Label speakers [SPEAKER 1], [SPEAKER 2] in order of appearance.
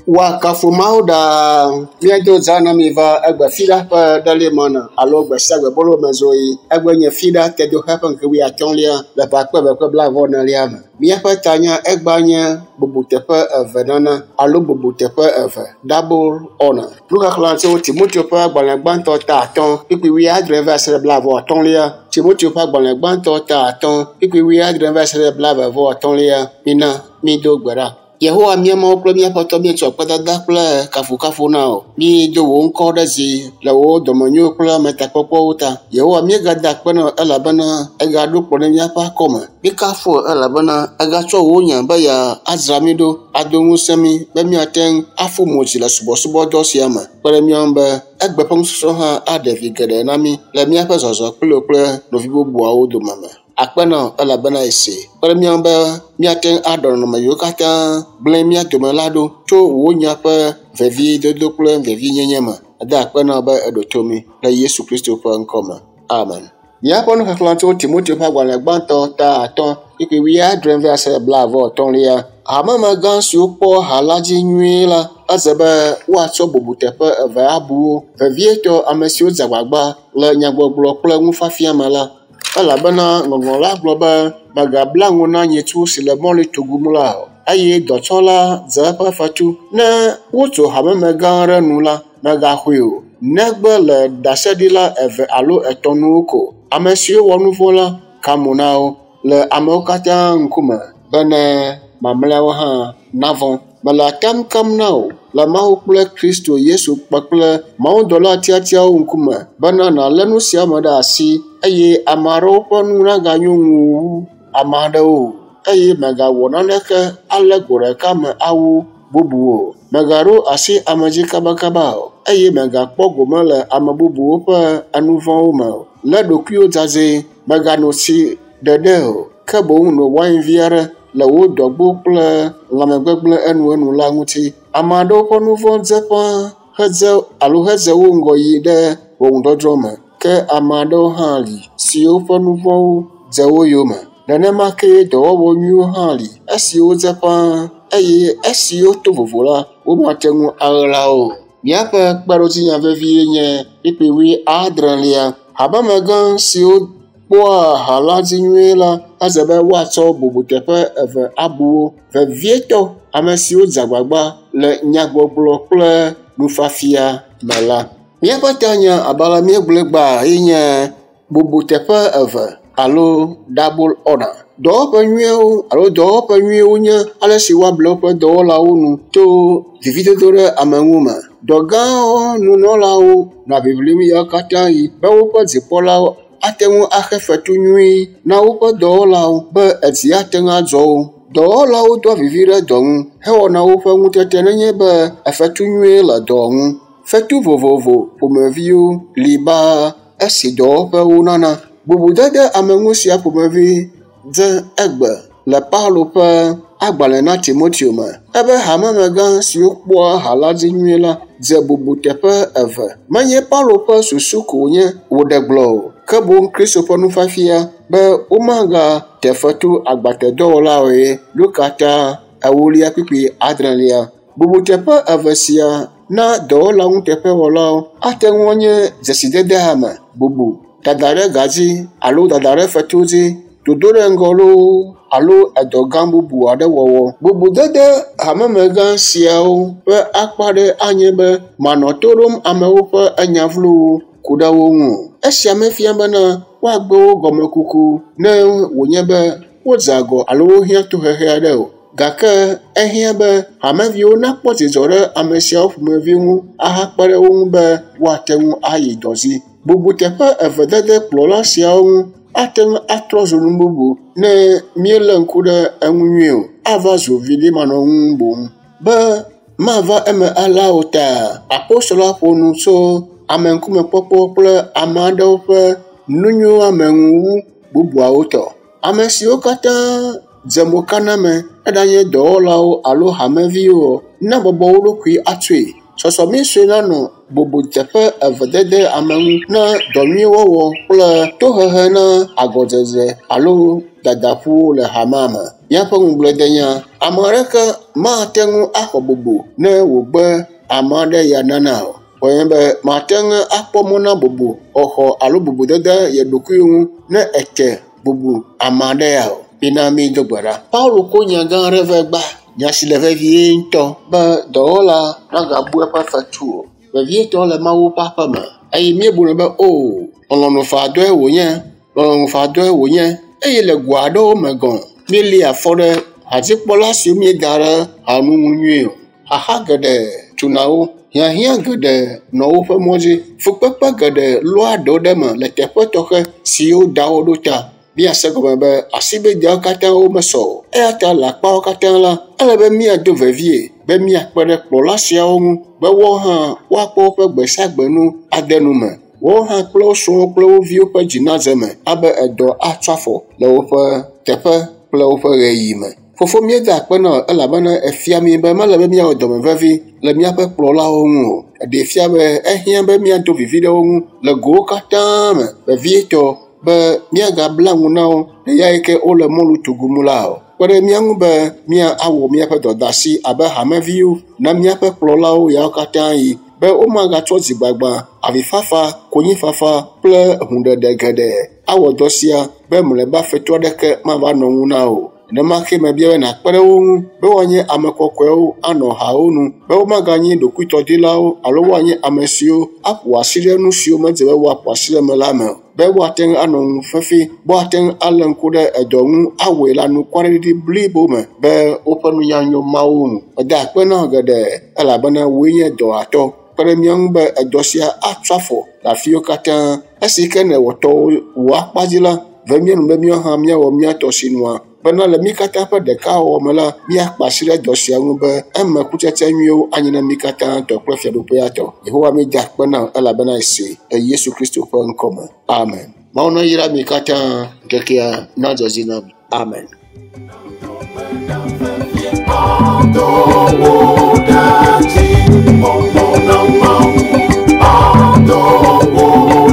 [SPEAKER 1] Woakafu Mawu ɖaa. Míado zã na mi va egbe fiɖa ƒe ɖelimɔna alo gbe sia gbe bolo me zoyi. Egbe nye fiɖa tedoxe ƒe ŋkeke wuiatɔ̃lia le ƒe akpe eve kple blaeve-vɔ-enelia me. Míaƒe tanya egba nye bubuteƒe eve nana alo bubuteƒe eve double honor. Nuxexlẽ tso Timoteo ƒe agbalẽ gbãtɔ ta 5 kpukpui 70 va se ɖe 23. Timoteo ƒe agbalẽ gbãtɔ ta 5 kpukpui 70 va se ɖe 23. Mina mído gbe ɖa. Yehowa mía Mawu kple mía Aƒetɔ míetsɔ akpedada kple kafukafu na wò. Míedo wò ŋkɔ ɖe dzi le wò dɔmenyo kple ametakpɔkpɔwo ta. Yehowa míegada akpe na wò elabena ègaɖo kplɔ̃ ɖe míaƒe akɔme. Míekafu wò elabena ègatsɔ wò nya be yeadzra mí ɖo, ado ŋusẽ mí be míate ŋu aƒu mo dzi le subɔsubɔdɔ sia me. Kpe ɖe mía ŋu be egbe ƒe nusɔsrɔ̃ hã aɖe vi geɖe na mí le míaƒe zɔzɔ kpli wò kple nɔvi bubuawo dome me. Akpe na wò elabena èsee. Kpe ɖe mía ŋu be míate ŋu aɖɔ nɔnɔme yiwo katã gblẽ mía dome la ɖo tso wò nya ƒe veviedodo kple vevienyenye me. Eda akpe na wò be èɖo to mí le Yesu Kristo ƒe ŋkɔ me. Amen. Míaƒe nuxexlẽ tso Timoteo ƒe agbalẽ gbãtɔ ta 5 kpukpui 70 va se 73. Hamemegã siwo kpɔ ha la dzi nyuie la, edze be woatsɔ bubuteƒe eve abu wo, vevietɔ ame siwo dze agbagba le nyagbɔgblɔ kple nufiafia me la. Elabena Ŋɔŋlɔ la gblɔ be, mègabla nu na nyitsu si le mɔli tugum la o, eye dɔtsɔla dze eƒe fetu. Ne wotso hamemegã aɖe nu la, mègaxɔe o, negbe le ɖaseɖila eve alo etɔ̃ nu ko. Ame siwo wɔ nu vɔ̃ la, ka mo na wo le amewo katã ŋkume bene mamlɛawo hã navɔ̃. Mele atam kam na wò le Mawu kple Kristo Yesu kpakple mawudɔla tiatiawo ŋkume bena nàlé nu sia me ɖe asi eye ame aɖewo ƒe nu naganyo ŋuwò wu ame aɖewo o eye mègawɔ naneke alé go ɖeka me awu bubu o. Mègaɖo asi ame dzi kabakaba o eye mègakpɔ gome le ame bubuwo ƒe nu vɔ̃wo me o. Lé ɖokuiwò dzadzɛ, mègano tsi ɖeɖe o, ke boŋ no wain vi aɖe le wò dɔgbo kple lãmegbegblẽ enuenu la ŋuti. Ame aɖewo ƒe nu vɔ̃ dze ƒãa hedze alo hedze wo ŋgɔ yi ɖe ʋɔnudɔdrɔ̃ me, ke ame aɖewo hã li siwo ƒe nu vɔ̃wo dze wo yome. Nenema kee dɔwɔwɔ nyuiwo hã li, esiwo dze ƒãa eye esiwo to vovo la, womate ŋu aɣla o. Míaƒe kpeɖodzinya vevie nye kpukpui 70. Hamemegã siwo kpɔa ha la dzi nyuie la, edze be woatsɔ bubuteƒe eve abu wo, vevietɔ ame siwo dze agbagba le nyagbɔgblɔ kple nufiafia me la. Míaƒe tanya abe ale míegblɔe gbã ye nye bubuteƒe eve alo double honor. Dɔwɔƒe nyuiwo alo dɔwɔƒe nyuiwo nye ale si woable woƒe dɔwɔlawo nu to vividodo ɖe ame ŋu me. Dɔ gãwo nunɔlawo nɔa ʋiʋlim ɣeawo katã ɣi be woƒe dzikpɔlawo ate ŋu axe fetu nyui na woƒe dɔwɔlawo be edzi ate ŋu adzɔ wo. Dɔwɔlawo doa vivi ɖe dɔ ŋu hewɔna woƒe ŋutete nenye be efetu nyui le dɔ ŋu. Fetu vovovo ƒomeviwo li baa esi dɔwɔƒewo nana. Bubudede ame ŋu sia ƒomevi dze egbe le Paulo ƒe agbalẽ na Timoteo me. Ebe hamemegã siwo kpɔa ha la dzi nyuie la dze bubuteƒe eve. Menye Paulo ƒe susu ko wònye wòɖe gblɔ o, ke boŋ Kristo ƒe nufiafia be womagate fetu agbatedɔwɔlawoe. Luka ta 4 kpukpui 4. Bubuteƒe eve sia na dɔwɔla nuteƒewɔlawo ate ŋu anye dzesidede ame, bubu, dada ɖe ga dzi alo dada ɖe fetu dzi, dodo ɖe ŋgɔ loo alo edɔ gã bubu aɖe wɔwɔ. Bubudede hamemegã siawo ƒe akpa aɖe anye be manɔ to ɖom amewo ƒe nya vlowo ku ɖe wo ŋu o. Esia mefia bena woagbe wo gɔmekuku ne wònye be wodze agɔ alo wohiã tohehe aɖe o. Gake ehiã be hameviwo nakpɔ dzidzɔ ɖe ame siawo ƒomevi ŋu ahakpe ɖe wo ŋu be woate ŋu ayi dɔ dzi. Bubuteƒe eve dede kplɔla siawo ŋu ate ŋu atrɔ zu nu bubu ne míelé ŋku ɖe eŋu nyuie o. Ava zu viɖimanɔŋu boŋ. Be mava eme alea o ta, apostoloa ƒo nu tso ameŋkumekpɔkpɔ kple ame aɖewo ƒe nunyoameŋu wu bubuawo tɔ. Ame siwo katã dze mokaname, eɖanye dɔwɔlawo alo hameviwo o, nabɔbɔ wo ɖokui atsoe. Sɔsɔmi sue nanɔ bubuteƒe eve dede ame ŋu na dɔ nyui wɔwɔ kple tohehe na agɔdzedze alo dadaƒuwo le hamea me. Míaƒe ŋugbledenya, ame aɖeke mate ŋu axɔ bubu ne wògbe ame aɖe ya nana o. Wɔnye be mate ŋu akpɔ mɔ na bubu xɔxɔ alo bubudede ye ɖokui ŋu ne ete bubu ame aɖe ya o. Mina mído gbe ɖa. Paulo ko nya gã aɖe va gba. Nya si le vevie ŋutɔ be dɔwɔla nagabu eƒe fetu o. Vevietɔ le Mawu ƒe aƒe me. Eye míebuna be o, lɔlɔ̃nu faa dɔe wònye, lɔlɔ̃nu faa dɔe wònye. Eye le go aɖewo me gɔ̃, míelia afɔ ɖe hadzikpɔla siwo míeda ɖe hanu ŋu nyuie o. Xaxa geɖe tuna wo, hiahiã geɖe nɔ woƒe mɔ dzi, fukpekpe geɖe lɔa ɖewo ɖe eme le teƒe tɔxɛ siwo da wo ɖo ta. Míase gɔme be asibideawo katã womesɔ o. Eya ta le akpawo katã la, ele be míado vevie be míakpe ɖe kplɔla siawo ŋu be woawo hã woakpɔ woƒe gbe sia gbe nu ade nu me. Woawo hã kple wo srɔ̃wo kple wo viwo ƒe dzi nadze eme abe edɔ atsɔ afɔ le woƒe teƒe kple woƒe ɣeyiɣi me. Fofo míeda akpe na wò elabena efia mí be mele be míawɔ dɔme vevi le míaƒe kplɔlawo ŋu o. Eɖee fia be ehiã be míado vivi ɖe wo ŋu le gowo katã me, vevietɔ be míagabla nu na wo le ya yi ke wole mɔlu tugum la o. Kpe ɖe mía ŋu be míawɔ míaƒe dɔdeasi abe hameviwo na míaƒe kplɔlawo yawo katã yi be womagatsɔ dzigbagba, avifafa, konyifafa kple hũɖeɖe geɖe awɔ dɔ sia be mlɔeba fetu aɖeke mava nɔ ŋu na o. Nenema ke mebia be nàkpe ɖe wo ŋu be woanye ame kɔkɔewo anɔ hawo nu, be womaganye ɖokuitɔdilawo alo woanye ame siwo aƒo asi ɖe nu siwo medze be woaƒo asi ɖe eme la me o, be woate ŋu anɔ ŋu fefi, be woate ŋu alé ŋku ɖe edɔ ŋu awɔe le anukwareɖiɖi blibo me be woƒe nunya nyo Mawu ŋu. Meda akpe na wò geɖe elabena wòe nye dɔwɔtɔ. Kpe ɖe mía ŋu be edɔ sia atsɔ afɔ le afiwo katã. Esi ke nèwɔ tɔwò wò akpa dzi la, ve mía nu be míawo hã míawɔ mía tɔ sinua bena le mí katã ƒe ɖekawɔwɔ me la, míakpe asi ɖe dɔ sia ŋu be eme kutsetse nyuiwo anye na mí katã tɔ kple fiaɖuƒea tɔ. Yehowa mída akpe na wò elabena ese le Yesu Kristo ƒe ŋkɔ me. Amen. Mawu nayra mi katã ŋkekea nadzɔ dzi na mi. Amen.
[SPEAKER 2] Adowo ɖe dzi, kpɔkpɔ na Mawu. Adowo.